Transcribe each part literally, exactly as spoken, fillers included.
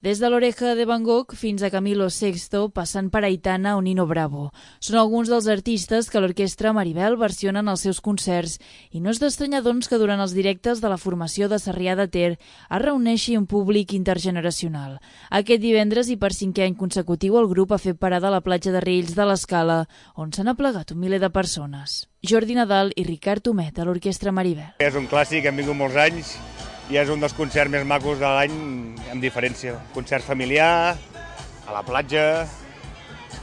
Des de l'Oreja de Van Gogh fins a Camilo Sexto, passant per Aitana o Nino Bravo. Són alguns dels artistes que l'Orquestra Maribel versionen als seus concerts i no és d'estranyar, doncs, que durant els directes de la formació de Sarrià de Ter es reuneixi un públic intergeneracional. Aquest divendres i per cinquè any consecutiu el grup ha fet parada a la platja de Riells de l'Escala, on s'han aplegat un miler de persones. Jordi Nadal i Ricard Homet, a l'Orquestra Maribel. És un clàssic, hem vingut molts anys, i és un dels concerts més macos de l'any, amb diferència. Concert familiar, a la platja,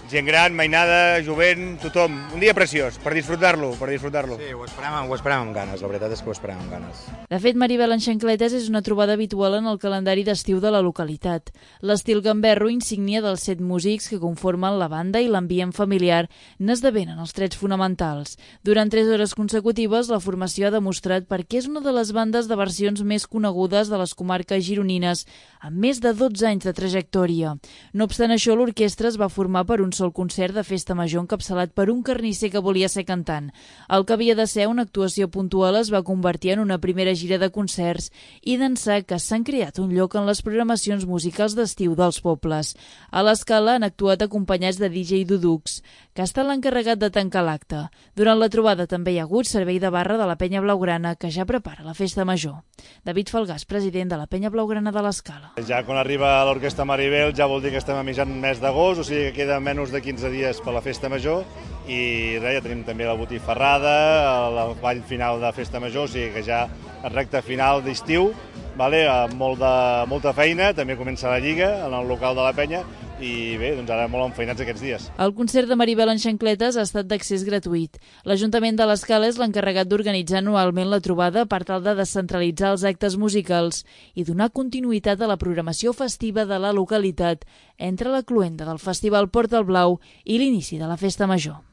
gent gran, mainada, jovent, tothom. Un dia preciós, per disfrutar-lo, per disfrutar-lo. Sí, ho esperàvem, ho esperàvem amb ganes, la veritat és que ho esperàvem amb ganes. De fet, Maribel en xancletes és una trobada habitual en el calendari d'estiu de la localitat. L'estil gamberro, insígnia dels set músics que conformen la banda i l'ambient familiar, n'esdevenen els trets fonamentals. Durant tres hores consecutives, la formació ha demostrat per què és una de les bandes de versions més conegudes de les comarques gironines, amb més de dotze anys de trajectòria. No obstant això, l'orquestra es va formar per un sol concert de festa major encapçalat per un carnisser que volia ser cantant. El que havia de ser una actuació puntual es va convertir en una primera gira de concerts i d'ençà que s'han creat un lloc en les programacions musicals d'estiu dels pobles. A l'Escala han actuat acompanyats de D J Dudux, que ha estat l'encarregat de tancar l'acte. Durant la trobada també hi ha hagut servei de barra de la Penya Blaugrana, que ja prepara la festa major. David Falgàs, president de la Penya Blaugrana de l'Escala. Ja quan arriba l'Orquestra Maribel ja vol dir que estem a mitjan mes d'agost, o sigui que queda menys de quinze dies per la festa major i res, ja tenim també la botifarrada, el ball final de festa major, o sigui que ja el recte final d'estiu, vale? Amb molt de, molta feina, també comença la Lliga en el local de la Penya i bé, doncs ara molt enfeinats aquests dies. El concert de Maribel en xancletes ha estat d'accés gratuït. L'Ajuntament de l'Escala és l'encarregat d'organitzar anualment la trobada per tal de descentralitzar els actes musicals i donar continuïtat a la programació festiva de la localitat entre la cloenda del Festival Port del Blau i l'inici de la Festa Major.